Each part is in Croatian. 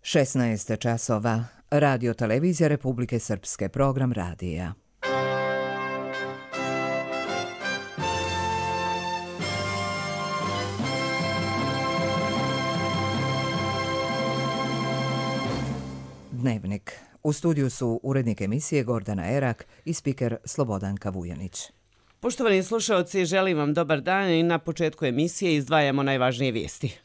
16 časova. Radio Televizija Republike Srpske, program radija. Dnevnik. U studiju su urednik emisije Gordana Erak i spiker Slobodanka Vujanić. Poštovani slušaoci, želim vam dobar dan i na početku emisije izdvajamo najvažnije vijesti.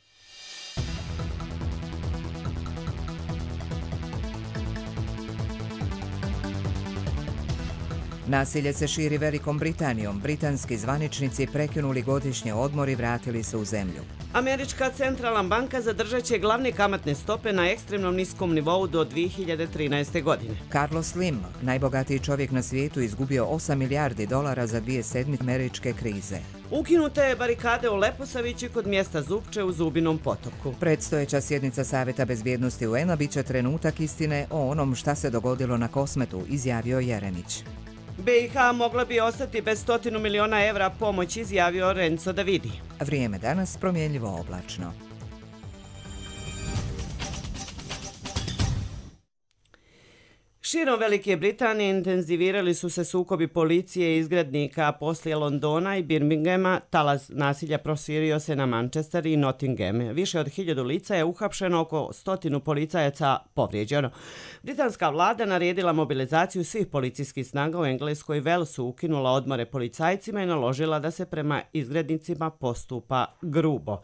Nasilje se širi Velikom Britanijom. Britanski zvaničnici prekinuli godišnje odmor i vratili se u zemlju. Američka centralna banka zadržat će glavne kamatne stope na ekstremnom niskom nivou do 2013. godine. Carlos Slim, najbogatiji čovjek na svijetu, izgubio 8 milijardi dolara za 2 sedmice američke krize. Ukinute je barikade u Leposavići kod mjesta Zupče u Zubinom potoku. Predstojeća sjednica Savjeta bezbjednosti UN-a bit će trenutak istine o onom šta se dogodilo na Kosmetu, izjavio Jeremić. BiH mogla bi ostati bez 100 miliona evra pomoći, izjavio Renzo Davidi. Vrijeme danas promjenljivo oblačno. Širom Velike Britanije intenzivirali su se sukobi policije i izgrednika poslije Londona i Birminghama. Talas nasilja proširio se na Manchester i Nottingham. Više od 1000 lica je uhapšeno, oko 100 policajaca povrijeđeno. Britanska vlada naredila mobilizaciju svih policijskih snaga u Engleskoj i Walesu, ukinula odmore policajcima i naložila da se prema izgrednicima postupa grubo.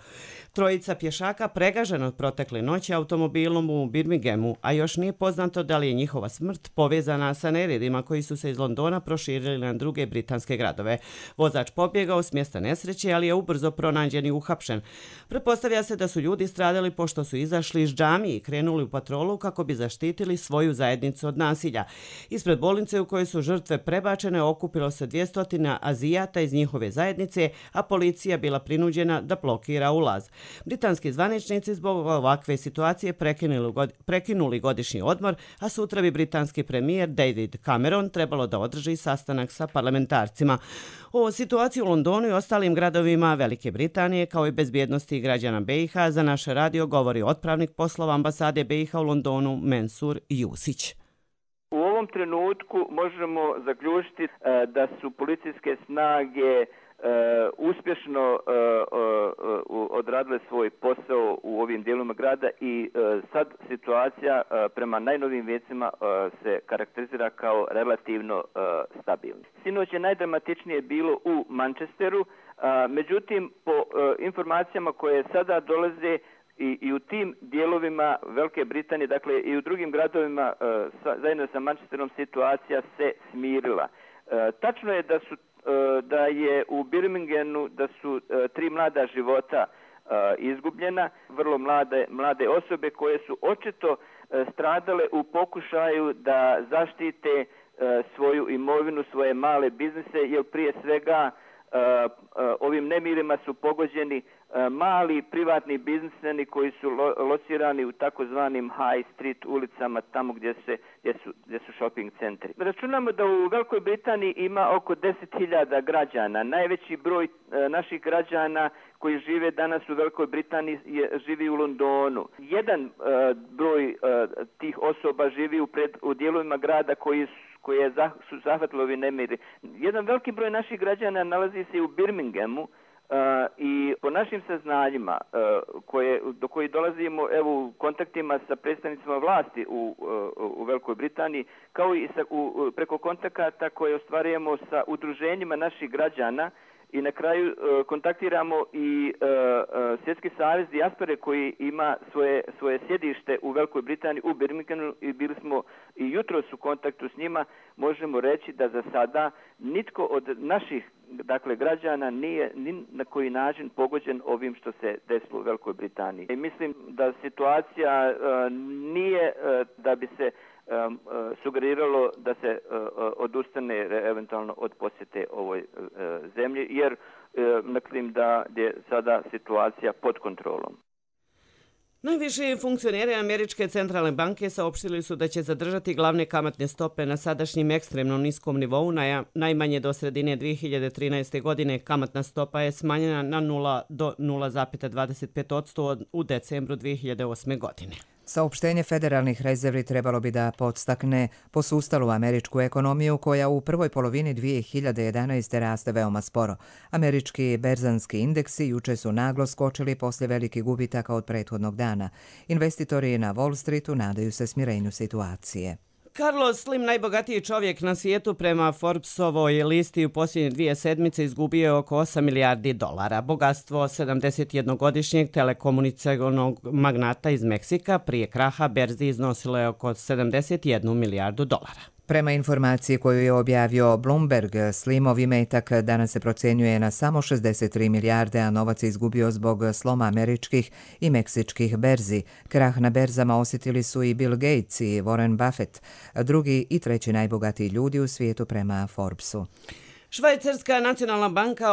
Trojica pješaka pregažena od protekle noći automobilom u Birminghamu, a još nije poznato da li je njihova smrt povezana sa neredima koji su se iz Londona proširili na druge britanske gradove. Vozač pobjegao s mjesta nesreće, ali je ubrzo pronađen i uhapšen. Pretpostavlja se da su ljudi stradali pošto su izašli iz džamije i krenuli u patrolu kako bi zaštitili svoju zajednicu od nasilja. Ispred bolnice u kojoj su žrtve prebačene okupilo se 200 Azijata iz njihove zajednice, a policija bila prinuđena da blokira ulaz. Britanski zvaničnici zbog ovakve situacije prekinuli godišnji odmor, a sutra bi britanski premijer David Cameron trebalo da održi sastanak sa parlamentarcima. O situaciji u Londonu i ostalim gradovima Velike Britanije kao i bezbjednosti građana BiH za naš radio govori otpravnik poslova ambasade BiH u Londonu Mensur Jusić. U ovom trenutku možemo zaključiti da su policijske snage uspješno odradile svoj posao u ovim dijelovima grada i sad situacija prema najnovijim vijecima se karakterizira kao relativno stabilna. Sinoć je najdramatičnije bilo u Manchesteru, međutim po informacijama koje sada dolaze i u tim dijelovima Velike Britanije, dakle i u drugim gradovima zajedno sa Manchesterom situacija se smirila. Tačno je da je u Birminghamu da su 3 mlada života izgubljena, vrlo mlade osobe koje su očito stradale u pokušaju da zaštite svoju imovinu, svoje male biznise, jer prije svega ovim nemirima su pogođeni mali privatni biznismeni koji su locirani u takozvanim high street ulicama, tamo gdje su shopping centri. Računamo da u Velikoj Britaniji ima oko 10.000 građana. Najveći broj naših građana koji žive danas u Velikoj Britaniji živi u Londonu. Jedan broj tih osoba živi u dijelovima grada koje su zahvatili ovi nemiri. Jedan veliki broj naših građana nalazi se u Birminghamu i po našim saznanjima do kojih dolazimo u kontaktima sa predstavnicima vlasti u Velikoj Britaniji, kao i preko kontakata koje ostvarujemo sa udruženjima naših građana, i na kraju kontaktiramo i Svjetski savez dijaspore koji ima svoje sjedište u Velikoj Britaniji, u Birminghamu, i bili smo i jutros u kontaktu s njima. Možemo reći da za sada nitko od naših građana nije ni na koji način pogođen ovim što se desilo u Velikoj Britaniji. I mislim da situacija nije da bi se sugeriralo da se odustane eventualno od posjete ovoj zemlji, jer mislim da je sada situacija pod kontrolom. Najviši funkcioneri Američke centralne banke saopštili su da će zadržati glavne kamatne stope na sadašnjim ekstremno niskom nivou najmanje do sredine 2013. godine. Kamatna stopa je smanjena na 0 do 0,25% u decembru 2008. godine. Saopštenje federalnih rezervi trebalo bi da podstakne posustalu američku ekonomiju koja u prvoj polovini 2011. raste veoma sporo. Američki berzanski indeksi juče su naglo skočili poslije velikih gubitaka od prethodnog dana. Investitori na Wall Streetu nadaju se smirenju situacije. Carlos Slim, najbogatiji čovjek na svijetu prema Forbesovoj listi u posljednje 2 sedmice izgubio je oko 8 milijardi dolara. Bogatstvo 71-godišnjeg telekomunikacionog magnata iz Meksika prije kraha berzi iznosilo je oko 71 milijardu dolara. Prema informaciji koju je objavio Bloomberg, Slimov imetak danas se procjenjuje na samo 63 milijarde, a novac je izgubio zbog sloma američkih i meksičkih berzi. Krah na berzama osjetili su i Bill Gates i Warren Buffett, drugi i treći najbogatiji ljudi u svijetu prema Forbesu. Švajcarska nacionalna banka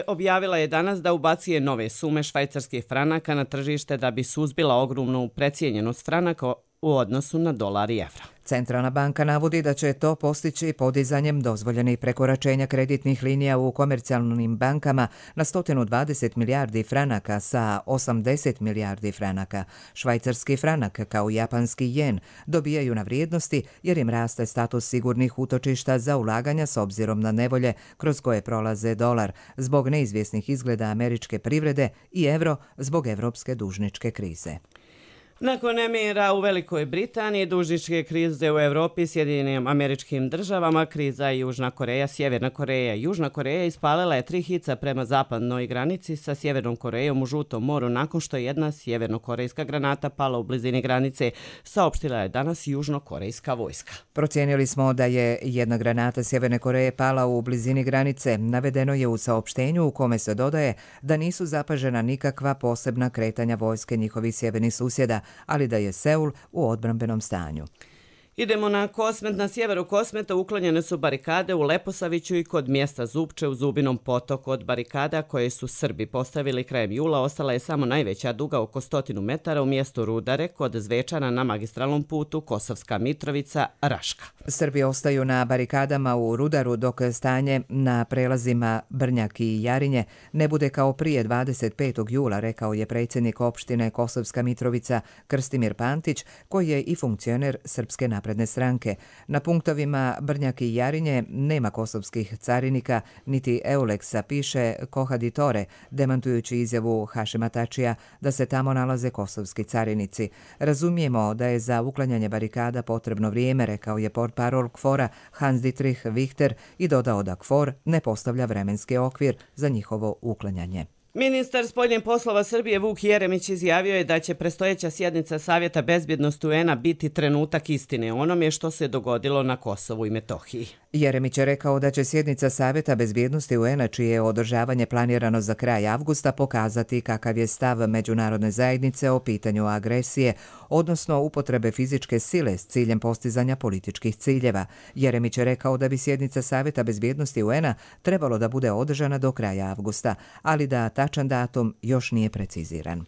objavila je danas da ubacuje nove sume švajcarskih franaka na tržište da bi suzbila ogromnu precijenjenost franaka u odnosu na dolar i evro. Centralna banka navodi da će to postići podizanjem dozvoljenih prekoračenja kreditnih linija u komercijalnim bankama na 120 milijardi franaka sa 80 milijardi franaka. Švajcarski franak kao i japanski jen dobijaju na vrijednosti jer im raste status sigurnih utočišta za ulaganja s obzirom na nevolje kroz koje prolaze dolar zbog neizvjesnih izgleda američke privrede i evro zbog evropske dužničke krize. Nakon nemira u Velikoj Britaniji, dužničke krize u Europi, Sjedinjenim Američkim Državama, kriza Južna Koreja, Sjeverna Koreja. Južna Koreja ispalila je 3 hica prema zapadnoj granici sa Sjevernom Korejom u Žutom moru nakon što je jedna sjevernokorejska granata pala u blizini granice, saopštila je danas južnokorejska vojska. Procijenili smo da je jedna granata Sjeverne Koreje pala u blizini granice. Navedeno je u saopštenju u kome se dodaje da nisu zapažena nikakva posebna kretanja vojske njihovih sjevernih susjeda, ali da je Seul u odbrambenom stanju. Idemo na Kosmet. Na sjeveru Kosmeta uklonjene su barikade u Leposaviću i kod mjesta Zupče u Zubinom potoku. Od barikada koje su Srbi postavili krajem jula ostala je samo najveća duga oko 100 metara u mjestu Rudare kod Zvečana na magistralnom putu Kosovska Mitrovica Raška. Srbi ostaju na barikadama u Rudaru dok stanje na prelazima Brnjak i Jarinje ne bude kao prije 25. jula, rekao je predsjednik opštine Kosovska Mitrovica Krstimir Pantić, koji je i funkcioner Srpske napredne stranke. Na punktovima Brnjak i Jarinje nema kosovskih carinika niti Euleksa, piše Kohaditore, demantujući izjavu Hašima Tačija da se tamo nalaze kosovski carinici. Razumijemo da je za uklanjanje barikada potrebno vrijeme, rekao je portparol KFOR-a Hans Dietrich Richter i dodao da KFOR ne postavlja vremenski okvir za njihovo uklanjanje. Ministar spoljnih poslova Srbije Vuk Jeremić izjavio je da će predstojeća sjednica Savjeta bezbjednosti UN-a biti trenutak istine o onome što se dogodilo na Kosovu i Metohiji. Jeremić je rekao da će sjednica Savjeta bezbjednosti UN-a, čije je održavanje planirano za kraj avgusta, pokazati kakav je stav međunarodne zajednice o pitanju agresije, odnosno upotrebe fizičke sile s ciljem postizanja političkih ciljeva. Jeremić je rekao da bi sjednica Savjeta bezbjednosti UN-a trebalo da bude održana do kraja avgusta, ali da tačan datum još nije preciziran.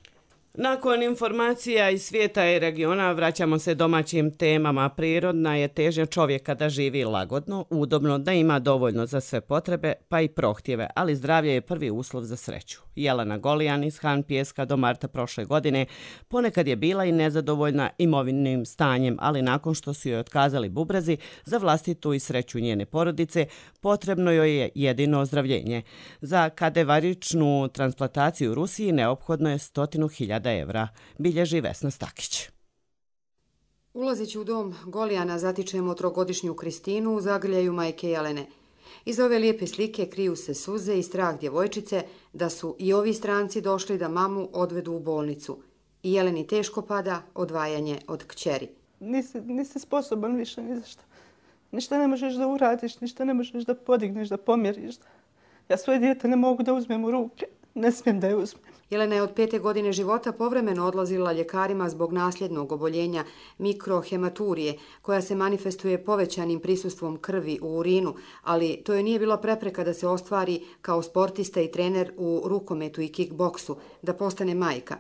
Nakon informacija iz svijeta i regiona vraćamo se domaćim temama. Prirodna je težnja čovjeka da živi lagodno, udobno, da ima dovoljno za sve potrebe, pa i prohtjeve, ali zdravlje je prvi uslov za sreću. Jelena Golijan iz Han Pijeska do marta prošle godine ponekad je bila i nezadovoljna imovinim stanjem, ali nakon što su joj otkazali bubrezi za vlastitu i sreću njene porodice, potrebno joj je jedino ozdravljenje. Za kadevaričnu transplantaciju u Rusiji neophodno je 100.000 evra, bilježi Vesna Stakić. Ulazeći u dom Golijana zatičemo 3-godišnju Kristinu u zagrljaju majke Jelene. Iz ove lijepe slike kriju se suze i strah djevojčice da su i ovi stranci došli da mamu odvedu u bolnicu. I Jeleni teško pada odvajanje od kćeri. Nisi sposoban više ni za što. Ništa ne možeš da uradiš, ništa ne možeš da podigneš, da pomjeriš. Ja svoje dijete ne mogu da uzmem u ruke, ne smijem da je uzmem. Jelena je od 5. godine života povremeno odlazila ljekarima zbog nasljednog oboljenja mikrohematurije, koja se manifestuje povećanim prisustvom krvi u urinu, ali to joj nije bila prepreka da se ostvari kao sportista i trener u rukometu i kickboksu, da postane majka.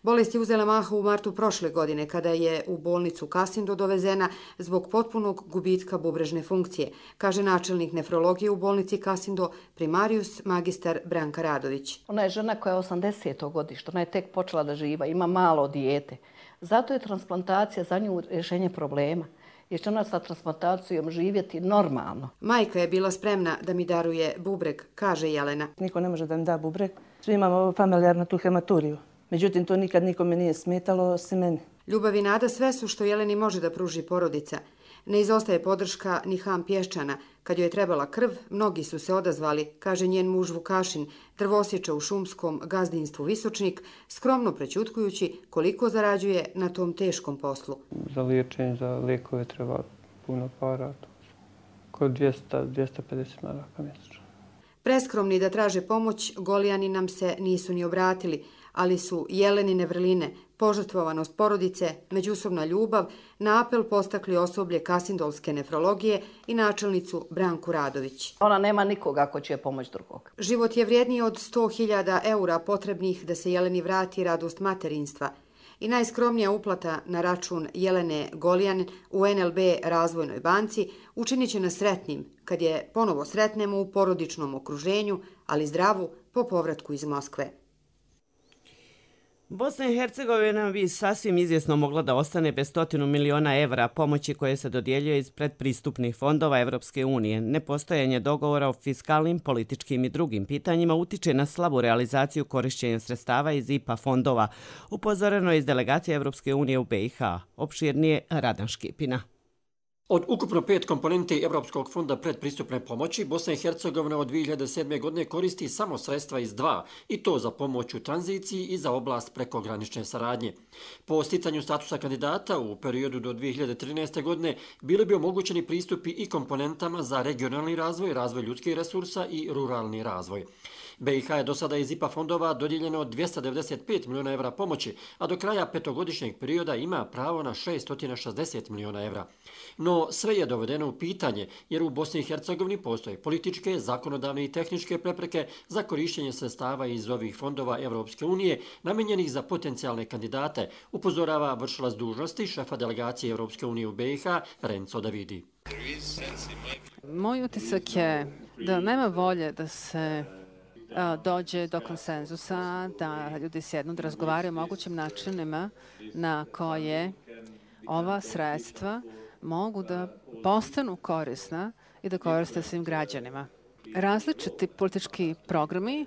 Bolest je uzela maha u martu prošle godine kada je u bolnicu Kasindo dovezena zbog potpunog gubitka bubrežne funkcije, kaže načelnik nefrologije u bolnici Kasindo, primarijus magistar Branka Radović. Ona je žena koja je 80. godište, ona je tek počela da živa, ima malo dijete. Zato je transplantacija za nju rješenje problema, jer će ona sa transplantacijom živjeti normalno. Majka je bila spremna da mi daruje bubreg, kaže Jelena. Niko ne može da mi da bubreg. Svi imamo familijarnu tu hematuriju. Međutim, to nikad nikome nije smetalo, osim meni. Ljubav i nada sve su što Jeleni može da pruži porodica. Ne izostaje podrška ni Ham Pješčana. Kad joj je trebala krv, mnogi su se odazvali, kaže njen muž Vukašin, drvosječa u šumskom gazdinstvu Visočnik, skromno prećutkujući koliko zarađuje na tom teškom poslu. Za liječenje, za lijekove treba puno para, oko 200-250 maraka mjesečno. Preskromni da traže pomoć, Golijani nam se nisu ni obratili, ali su Jelenine vrline, požrtvovanost porodice, međusobna ljubav na apel postakli osoblje Kasindolske nefrologije i načelnicu Branku Radović. Ona nema nikoga ko će pomoći drugog. Život je vrijedniji od 100.000 eura potrebnih da se Jeleni vrati radost materinstva. I najskromnija uplata na račun Jelene Golijan u NLB Razvojnoj banci učinit će nas sretnim kad je ponovo sretnemo u porodičnom okruženju, ali zdravu po povratku iz Moskve. Bosna i Hercegovina bi sasvim izvjesno mogla da ostane bez 100 miliona evra pomoći koje se dodjeljuje iz predpristupnih fondova Evropske unije. Nepostojanje dogovora o fiskalnim, političkim i drugim pitanjima utiče na slabu realizaciju korišćenja sredstava iz IPA fondova, upozoreno je iz delegacije Evropske unije u BiH. Opširnije Radan Škipina. Od ukupno 5 komponenti Evropskog fonda predpristupne pomoći, Bosna i Hercegovina od 2007. godine koristi samo sredstva iz 2, i to za pomoć u tranziciji i za oblast prekogranične saradnje. Po sticanju statusa kandidata u periodu do 2013. godine bili bi omogućeni pristupi i komponentama za regionalni razvoj, razvoj ljudskih resursa i ruralni razvoj. BiH je do sada iz IPA fondova dodijeljeno 295 miliona evra pomoći, a do kraja petogodišnjeg perioda ima pravo na 660 miliona evra. No sve je dovedeno u pitanje, jer u Bosni i Hercegovini postoje političke, zakonodavne i tehničke prepreke za korištenje sredstava iz ovih fondova Evropske unije namenjenih za potencijalne kandidate, upozorava vršilac dužnosti šefa delegacije Evropske unije u BiH Renzo Davidi. Moj utisak je da nema volje da se dođe do konsenzusa, da ljudi sjednu da razgovaraju o mogućim načinima na koje ova sredstva mogu da postanu korisna i da koriste svim građanima. Različiti politički programi,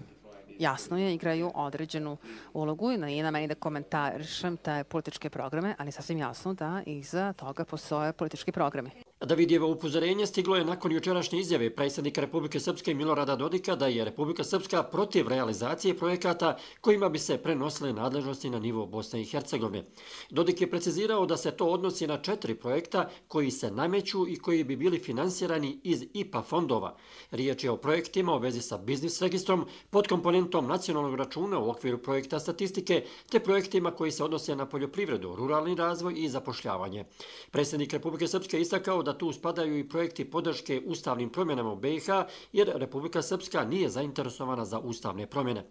jasno je, igraju određenu ulogu i nije na meni da komentarišem te političke programe, ali sasvim jasno da iza toga postoje politički programi. Davidijevo upozorenje stiglo je nakon jučerašnje izjave predsjednika Republike Srpske Milorada Dodika da je Republika Srpska protiv realizacije projekata kojima bi se prenosile nadležnosti na nivo Bosne i Hercegovine. Dodik je precizirao da se to odnosi na 4 projekta koji se nameću i koji bi bili finansirani iz IPA fondova. Riječ je o projektima u vezi sa biznis registrom, pod komponentom nacionalnog računa u okviru projekta statistike, te projektima koji se odnose na poljoprivredu, ruralni razvoj i zapošljavanje. Predsjednik Republike Srpske istakao da tu spadaju i projekti podrške ustavnim promjenama u BiH, jer Republika Srpska nije zainteresovana za ustavne promjene.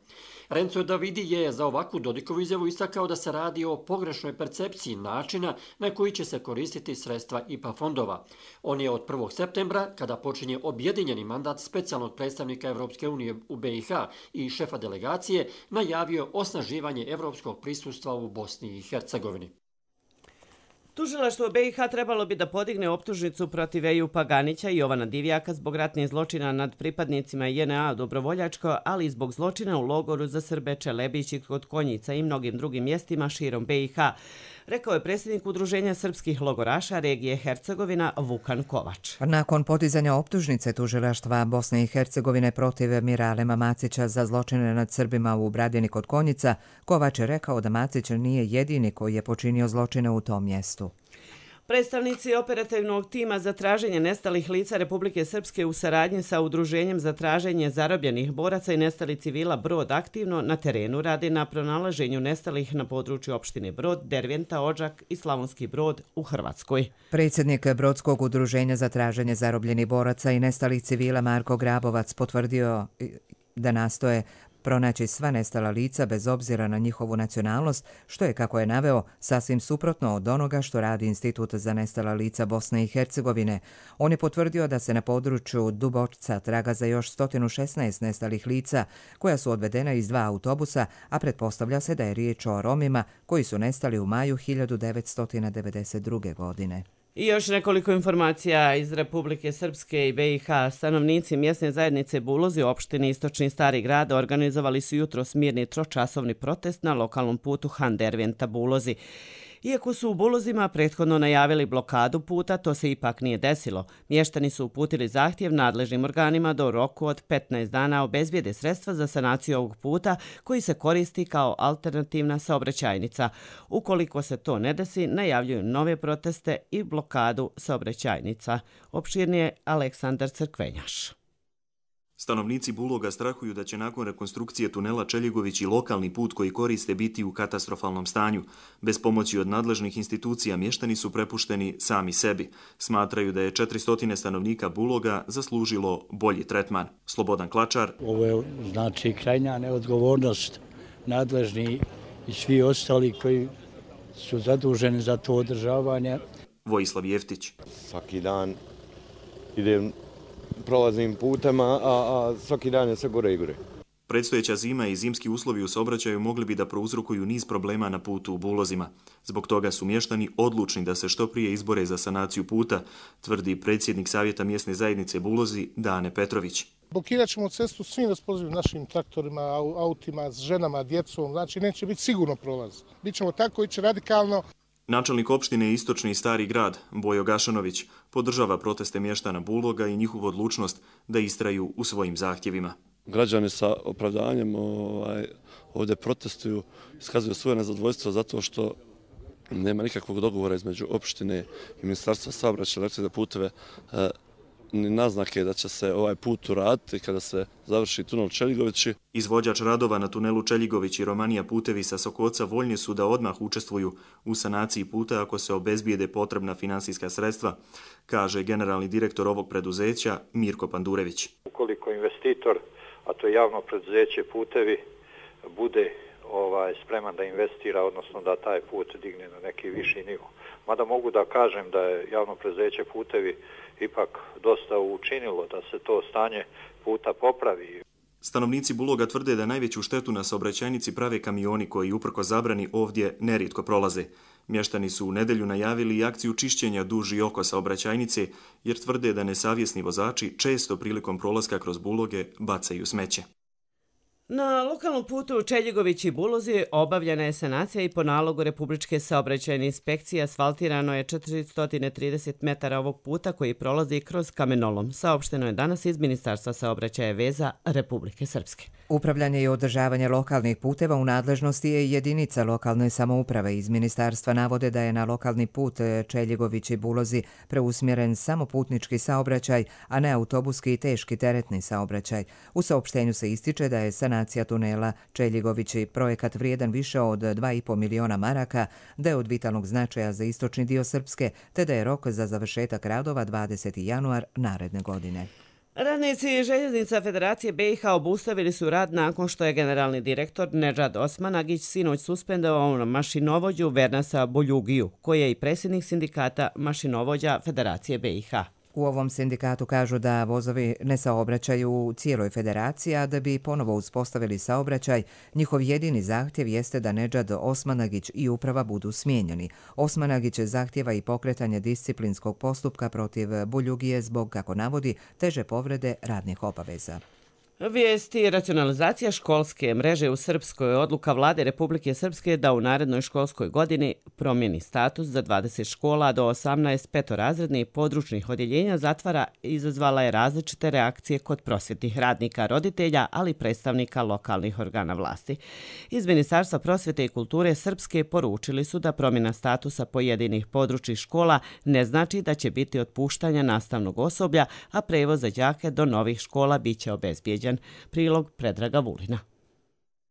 Renzo Davidi je za ovakvu Dodikovu izjavu istakao da se radi o pogrešnoj percepciji načina na koji će se koristiti sredstva IPA fondova. On je od 1. septembra, kada počinje objedinjeni mandat specijalnog predstavnika Evropske unije u BiH i šefa delegacije, najavio osnaživanje evropskog prisustva u Bosni i Hercegovini. Tužilaštvo BiH trebalo bi da podigne optužnicu protiv Ejupa Ganića i Jovana Divjaka zbog ratnih zločina nad pripadnicima JNA Dobrovoljačko, ali i zbog zločina u logoru za Srbe Čelebići kod Konjica i mnogim drugim mjestima širom BiH, rekao je predsjednik Udruženja srpskih logoraša regije Hercegovina Vukan Kovač. Nakon podizanja optužnice tužilaštva Bosne i Hercegovine protiv Miralema Macića za zločine nad Srbima u Bradini kod Konjica, Kovač je rekao da Macić nije jedini koji je počinio zločine u tom mjestu. Predstavnici operativnog tima za traženje nestalih lica Republike Srpske u saradnji sa Udruženjem za traženje zarobljenih boraca i nestalih civila Brod aktivno na terenu radi na pronalaženju nestalih na području opštine Brod, Derventa, Odžak i Slavonski Brod u Hrvatskoj. Predsjednik Brodskog udruženja za traženje zarobljenih boraca i nestalih civila Marko Grabovac potvrdio da nastoje pronaći sva nestala lica bez obzira na njihovu nacionalnost, što je, kako je naveo, sasvim suprotno od onoga što radi Institut za nestala lica Bosne i Hercegovine. On je potvrdio da se na području Dubočca traga za još 116 nestalih lica, koja su odvedena iz 2 autobusa, a pretpostavlja se da je riječ o Romima koji su nestali u maju 1992. godine. I još nekoliko informacija iz Republike Srpske i BiH. Stanovnici mjesne zajednice Bulozi u opštini Istočni Stari grad organizovali su jutros mirni tročasovni protest na lokalnom putu Han-Derventa-Bulozi. Iako su u Bulozima prethodno najavili blokadu puta, to se ipak nije desilo. Mještani su uputili zahtjev nadležnim organima da u roku od 15 dana obezbijede sredstva za sanaciju ovog puta koji se koristi kao alternativna saobraćajnica. Ukoliko se to ne desi, najavljuju nove proteste i blokadu saobraćajnica. Opširnije Aleksandar Crkvenjaš. Stanovnici Buloga strahuju da će nakon rekonstrukcije tunela Čeljigović i lokalni put koji koriste biti u katastrofalnom stanju. Bez pomoći od nadležnih institucija mještani su prepušteni sami sebi. Smatraju da je 400 stanovnika Buloga zaslužilo bolji tretman. Slobodan Klačar. Ovo je znači krajnja neodgovornost nadležni i svi ostali koji su zaduženi za to održavanje. Vojislav Jeftić. Svaki dan idem prolaznim putema, a svaki dan je sve gore i gore. Predstojeća zima i zimski uslovi u saobraćaju mogli bi da prouzrokuju niz problema na putu u Bulozima. Zbog toga su mještani odlučni da se što prije izbore za sanaciju puta, tvrdi predsjednik Savjeta mjesne zajednice Bulozi Dane Petrović. Blokirat ćemo cestu svim raspoloživim našim traktorima, autima, s ženama, djecom, znači neće biti sigurno prolaz. Bićemo tako ići radikalno. Načelnik opštine Istočni Stari grad, Bojo Gašanović, podržava proteste mještana Buloga i njihovu odlučnost da istraju u svojim zahtjevima. Građani sa opravdanjem ovdje protestuju, iskazuju svoje nezadovoljstvo zato što nema nikakvog dogovora između opštine i Ministarstva saobraćaja i električne puteve, ni naznake da će se ovaj put uraditi kada se završi tunel Čeljigovići. Izvođač radova na tunelu Čeljigović i Romanija putevi sa Sokoca voljni su da odmah učestvuju u sanaciji puta ako se obezbijede potrebna finansijska sredstva, kaže generalni direktor ovog preduzeća Mirko Pandurević. Ukoliko investitor, a to je javno preduzeće Putevi, bude spreman da investira, odnosno da taj put digne na neki viši nivo. Mada mogu da kažem da je javno preduzeće Putevi ipak dosta učinilo da se to stanje puta popravi. Stanovnici Buloga tvrde da najveću štetu na saobraćajnici prave kamioni koji uprko zabrani ovdje nerijetko prolaze. Mještani su u nedjelju najavili i akciju čišćenja duž i oko saobraćajnice jer tvrde da nesavjesni vozači često prilikom prolaska kroz Buloge bacaju smeće. Na lokalnom putu Čeljigović i Bulozi obavljena je sanacija i po nalogu Republičke saobraćajne inspekcije asfaltirano je 430 metara ovog puta koji prolazi kroz kamenolom. Saopšteno je danas iz Ministarstva saobraćaja veza Republike Srpske. Upravljanje i održavanje lokalnih puteva u nadležnosti je jedinica lokalne samouprave. Iz ministarstva navode da je na lokalni put Čeljigović i Bulozi preusmjeren samo putnički saobraćaj, a ne autobuski i teški teretni saobraćaj. U saopštenju se ističe da je sanacija tunela Čeljigović i projekat vrijedan više od 2,5 miliona maraka, da je od vitalnog značaja za istočni dio Srpske, te da je rok za završetak radova 20. januar naredne godine. Radnici Željeznica Federacije BiH obustavili su rad nakon što je generalni direktor Nedžad Osmanagić sinoć suspendovao mašinovođu Vernasa Boljugiju, koji je i predsjednik sindikata mašinovođa Federacije BiH. U ovom sindikatu kažu da vozovi ne saobraćaju u cijeloj federaciji, a da bi ponovo uspostavili saobraćaj, njihov jedini zahtjev jeste da Nedžad Osmanagić i uprava budu smijenjeni. Osmanagić zahtjeva i pokretanje disciplinskog postupka protiv Boljugije zbog, kako navodi, teže povrede radnih obaveza. Vijesti racionalizacija školske mreže u Srpskoj. Odluka vlade Republike Srpske da u narednoj školskoj godini promijeni status za 20 škola do 18 petorazrednih područnih odjeljenja zatvara izazvala je različite reakcije kod prosvjetnih radnika, roditelja, ali i predstavnika lokalnih organa vlasti. Iz Ministarstva prosvjete i kulture Srpske poručili su da promjena statusa pojedinih područnih škola ne znači da će biti otpuštanja nastavnog osoblja, a prevoz za đake do novih škola biće obezbijeđen. Prilog Predraga Vulina.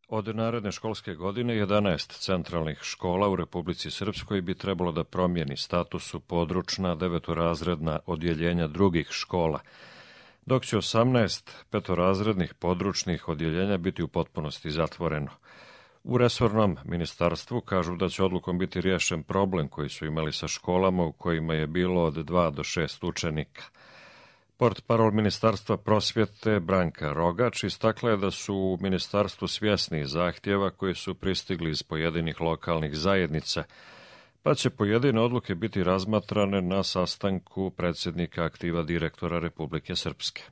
Od naredne školske godine 11 centralnih škola u Republici Srpskoj bi trebalo da promijeni status u područna devetorazredna odjeljenja drugih škola. dok će 18 petorazrednih područnih odjeljenja biti u potpunosti zatvoreno. U resornom ministarstvu kažu da će odlukom biti riješen problem koji su imali sa školama u kojima je bilo od 2 do 6 učenika. Portparol Ministarstva prosvjete Branka Rogač istakla je da su u ministarstvu svjesni zahtjeva koji su pristigli iz pojedinih lokalnih zajednica, pa će pojedine odluke biti razmatrane na sastanku predsjednika aktiva direktora Republike Srpske.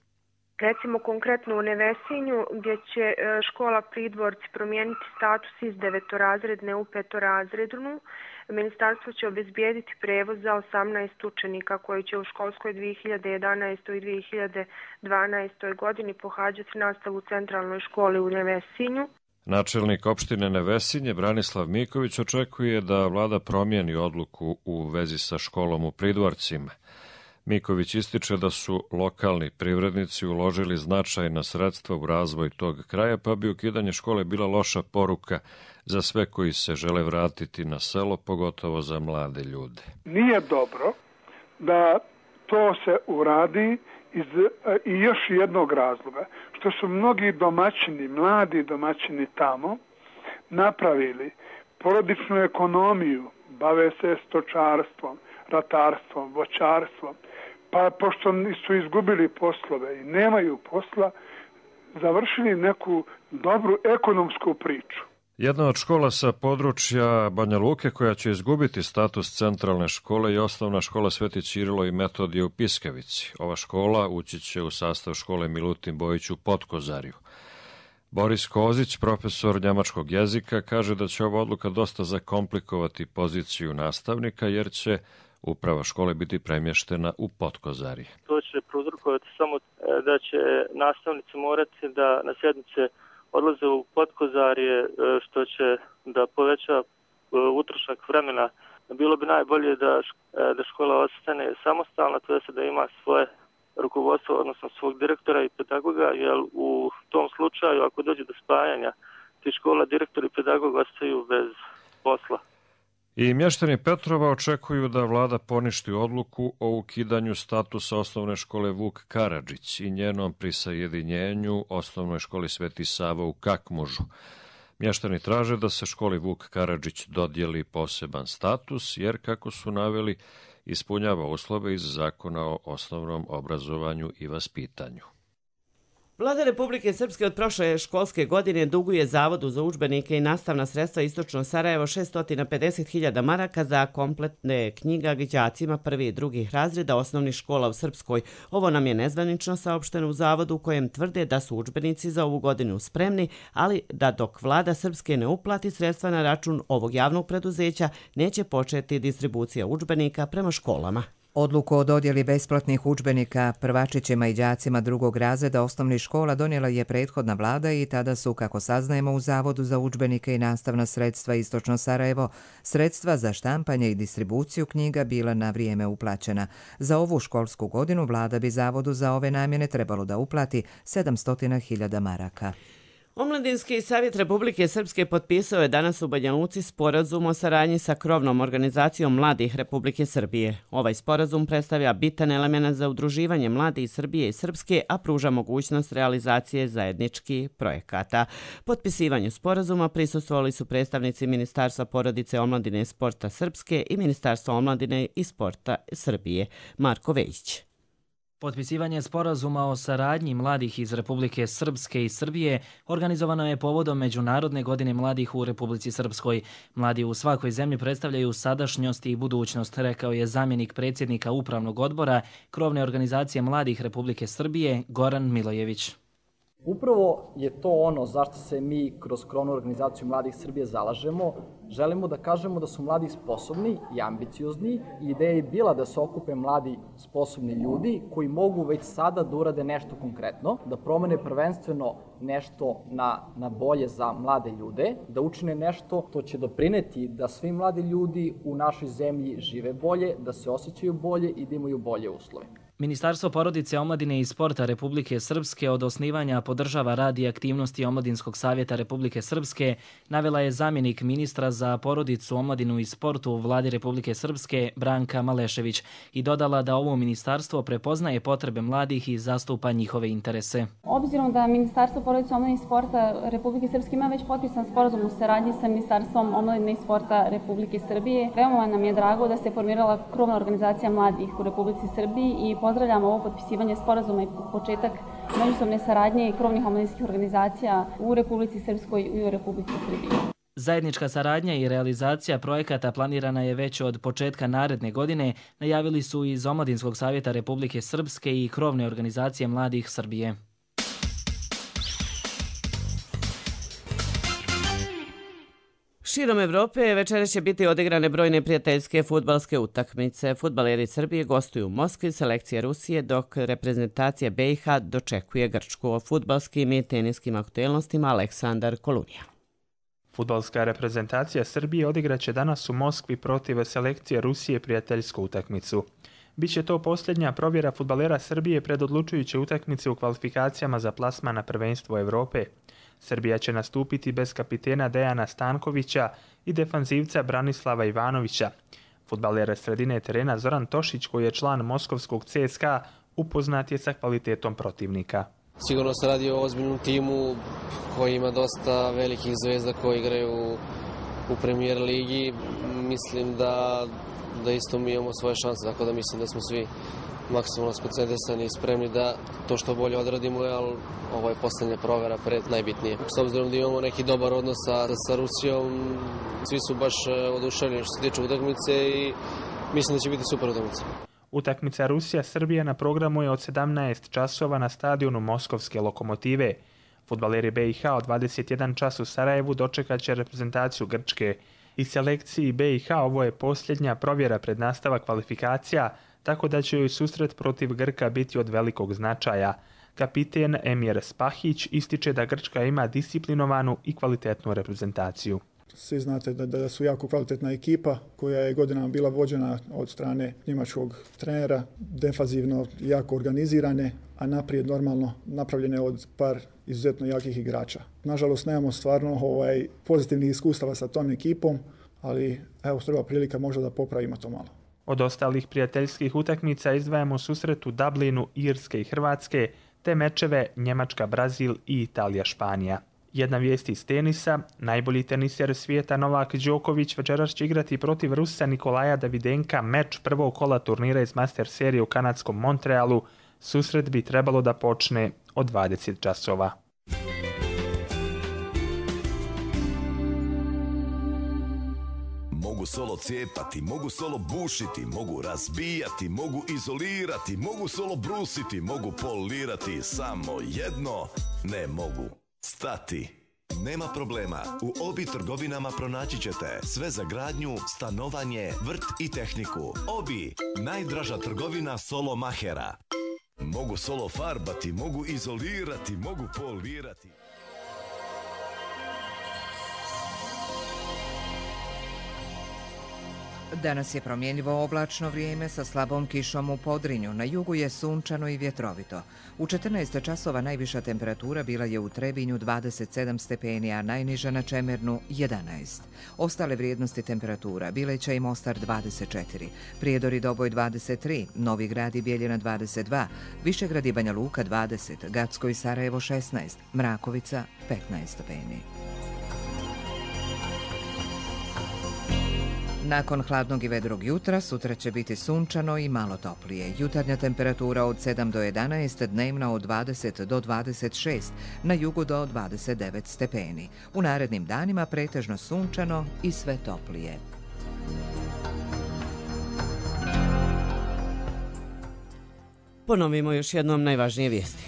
Recimo konkretno u Nevesinju gdje će škola Pridvorci promijeniti status iz 9-razredne u 5-razrednu. Ministarstvo će obezbijediti prevoz za 18 učenika koji će u školskoj 2011. i 2012. godini pohađati nastavu u centralnoj školi u Nevesinju. Načelnik opštine Nevesinje Branislav Miković očekuje da vlada promijeni odluku u vezi sa školom u Pridvorcima. Miković ističe da su lokalni privrednici uložili značajna sredstva u razvoj tog kraja, pa bi ukidanje škole bila loša poruka za sve koji se žele vratiti na selo, pogotovo za mlade ljude. Nije dobro da to se uradi i još jednog razloga, što su mnogi domaćini, mladi domaćini tamo napravili porodičnu ekonomiju, bave se stočarstvom, ratarstvom, voćarstvom, pa pošto su izgubili poslove i nemaju posla, završili neku dobru ekonomsku priču. Jedna od škola sa područja Banja Luke koja će izgubiti status centralne škole je osnovna škola Sveti Ćirilo i Metodije u Piskavici. Ova škola ući će u sastav škole Milutin Bojić u Potkozarju. Boris Kozić, profesor njemačkog jezika, kaže da će ova odluka dosta zakomplikovati poziciju nastavnika jer će uprava škole biti premještena u Potkozarje. To će prouzrokovati samo da će nastavnici morati da na sjednice odlaze u Potkozarje, što će da poveća utrošak vremena. Bilo bi najbolje da škola ostane samostalna, to jest da ima svoje rukovodstvo, odnosno svog direktora i pedagoga, jer u tom slučaju, ako dođe do spajanja tih škola, direktor i pedagog ostaju bez posla. I mještani Petrova očekuju da vlada poništi odluku o ukidanju statusa osnovne škole Vuk Karadžić i njenom prisajedinjenju osnovnoj školi Sveti Sava u Kakmužu. Mještani traže da se školi Vuk Karadžić dodijeli poseban status, jer, kako su naveli, ispunjava uslove iz Zakona o osnovnom obrazovanju i vaspitanju. Vlada Republike Srpske od prošle školske godine duguje Zavodu za udžbenike i nastavna sredstva Istočno Sarajevo 650.000 maraka za kompletne knjiga đacima 1. i 2. razreda osnovnih škola u Srpskoj. Ovo nam je nezvanično saopšteno u Zavodu, u kojem tvrde da su udžbenici za ovu godinu spremni, ali da dok vlada Srpske ne uplati sredstva na račun ovog javnog preduzeća, neće početi distribucija udžbenika prema školama. Odluku o dodjeli besplatnih udžbenika prvačićima i đacima 2. razreda osnovnih škola donijela je prethodna vlada i tada su, kako saznajemo u Zavodu za udžbenike i nastavna sredstva Istočno Sarajevo, sredstva za štampanje i distribuciju knjiga bila na vrijeme uplaćena. Za ovu školsku godinu vlada bi Zavodu za ove namjene trebalo da uplati 700.000 maraka. Omladinski savjet Republike Srpske potpisao je danas u Banja Luci sporazum o saradnji sa krovnom organizacijom mladih Republike Srbije. Ovaj sporazum predstavlja bitan element za udruživanje mladih Srbije i Srpske, a pruža mogućnost realizacije zajedničkih projekata. Potpisivanju sporazuma prisustvovali su predstavnici Ministarstva porodice, omladine i sporta Srpske i Ministarstva omladine i sporta Srbije. Marko Vejić. Potpisivanje sporazuma o saradnji mladih iz Republike Srpske i Srbije organizovano je povodom Međunarodne godine mladih u Republici Srpskoj. Mladi u svakoj zemlji predstavljaju sadašnjost i budućnost, rekao je zamjenik predsjednika Upravnog odbora krovne organizacije mladih Republike Srbije Goran Milojević. Upravo je to ono zašto se mi kroz krovnu organizaciju mladih Srbije zalažemo. Želimo da kažemo da su mladi sposobni i ambiciozni i ideja je bila da se okupe mladi sposobni ljudi koji mogu već sada da urade nešto konkretno, da promene prvenstveno nešto na bolje za mlade ljude, da učine nešto što će doprineti da svi mladi ljudi u našoj zemlji žive bolje, da se osjećaju bolje i da imaju bolje uslove. Ministarstvo porodice, omladine i sporta Republike Srpske od osnivanja podržava rad i aktivnosti Omladinskog savjeta Republike Srpske, navela je zamjenik ministra za porodicu, omladinu i sport u Vladi Republike Srpske Branka Malešević i dodala da ovo ministarstvo prepoznaje potrebe mladih i zastupa njihove interese. Obzirom da Ministarstvo porodice, omladine i sporta Republike Srpske ima već potpisan sporazum u saradnji sa Ministarstvom omladine i sporta Republike Srbije, veoma nam je drago da se formirala krovna organizacija mladih u Republici Srbiji i pozdravljamo ovo potpisivanje sporazuma i početak međusobne saradnje krovnih omladinskih organizacija u Republici Srpskoj i u Republici Srbiji. Zajednička saradnja i realizacija projekata planirana je već od početka naredne godine, najavili su iz Omladinskog savjeta Republike Srpske i krovne organizacije mladih Srbije. Širom Evrope večeras će biti odigrane brojne prijateljske fudbalske utakmice. Fudbaleri Srbije gostuju u Moskvi, selekcija Rusije, dok reprezentacija BiH dočekuje Grčku. O fudbalskim i teniskim aktuelnostima Aleksandar Kolunija. Fudbalska reprezentacija Srbije odigraće danas u Moskvi protiv selekcije Rusije prijateljsku utakmicu. Biće to posljednja provjera fudbalera Srbije pred odlučujuće utakmice u kvalifikacijama za plasman na prvenstvo Evrope. Srbija će nastupiti bez kapitena Dejana Stankovića i defanzivca Branislava Ivanovića. Fudbaler sredine terena Zoran Tošić, koji je član moskovskog CSKA, upoznat je sa kvalitetom protivnika. Sigurno se radi o ozbiljnom timu koji ima dosta velikih zvezda koji igraju u Premier ligi. Mislim da isto mi imamo svoje šanse, tako da mislim da smo svi maksimalno skoncentrisani i spremni da to što bolje odradimo, ali ovo je posljednja provera pred najbitnije. S obzirom da imamo neki dobar odnos sa Rusijom, svi su baš oduševljeni što se tiče utakmice i mislim da će biti super utakmica. Utakmica Rusija-Srbija na programu je od 17 časova na stadionu Moskovske Lokomotive. Fudbaleri BiH od 21 čas u Sarajevu dočekat će reprezentaciju Grčke. I selekciji BiH ovo je posljednja provjera pred nastavak kvalifikacija, tako da će joj susret protiv Grka biti od velikog značaja. Kapiten Emir Spahić ističe da Grčka ima disciplinovanu i kvalitetnu reprezentaciju. Svi znate da su jako kvalitetna ekipa koja je godinama bila vođena od strane njemačkog trenera, defazivno jako organizirane, a naprijed normalno napravljene od par izuzetno jakih igrača. Nažalost, nemamo stvarno pozitivnih iskustava sa tom ekipom, ali evo treba prilika možda da popravimo to malo. Od ostalih prijateljskih utakmica izdvajamo susret u Dublinu, Irske i Hrvatske, te mečeve Njemačka-Brazil i Italija-Španija. Jedna vijest iz tenisa, najbolji teniser svijeta Novak Đoković večeras će igrati protiv Rusa Nikolaja Davidenka meč prvog kola turnira iz Master serije u kanadskom Montrealu. Susret bi trebalo da počne od 20 časova. Mogu solo cijepati, mogu solo bušiti, mogu razbijati, mogu izolirati, mogu solo brusiti, mogu polirati, samo jedno ne mogu. Stati. Nema problema, u Obi trgovinama pronaći ćete sve za gradnju, stanovanje, vrt i tehniku. Obi, najdraža trgovina solo mahera. Mogu solo farbati, mogu izolirati, mogu polirati. Danas je promjenjivo oblačno vrijeme sa slabom kišom u Podrinju. Na jugu je sunčano i vjetrovito. U 14 časova najviša temperatura bila je u Trebinju 27 stepeni, a najniža na Čemernu 11. Ostale vrijednosti temperatura bile će i Mostar 24, Prijedor i Doboj 23, Novi Grad i Bijeljina 22, Višegrad i Banja Luka 20, Gacko i Sarajevo 16, Mrakovica 15 stepeni. Nakon hladnog i vedrog jutra, sutra će biti sunčano i malo toplije. Jutarnja temperatura od 7 do 11, dnevna od 20 do 26, na jugu do 29 stepeni. U narednim danima pretežno sunčano i sve toplije. Ponovimo još jednom najvažnije vijesti.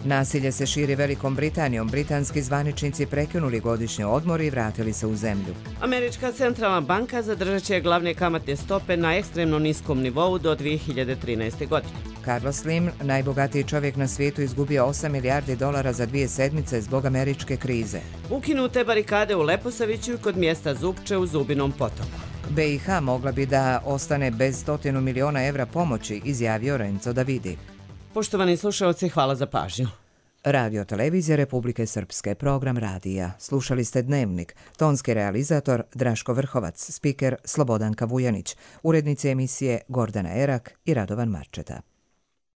Nasilje se širi Velikom Britanijom. Britanski zvaničnici prekinuli godišnji odmor i vratili se u zemlju. Američka centralna banka zadržat će glavne kamatne stope na ekstremno niskom nivou do 2013. godine. Carlos Slim, najbogatiji čovjek na svijetu, izgubio 8 milijardi dolara za 2 sedmice zbog američke krize. Ukinute barikade u Leposaviću kod mjesta Zupče u Zubinom potoku. BiH mogla bi da ostane bez 100 miliona evra pomoći, izjavio Renzo Davidi. Poštovani slušalci, hvala za pažnju. Radio Televizija Republike Srpske, program radija. Slušali ste Dnevnik, tonski realizator Draško Vrhovac, spiker Slobodanka Vujanić, urednici emisije Gordana Erak i Radovan Marčeta.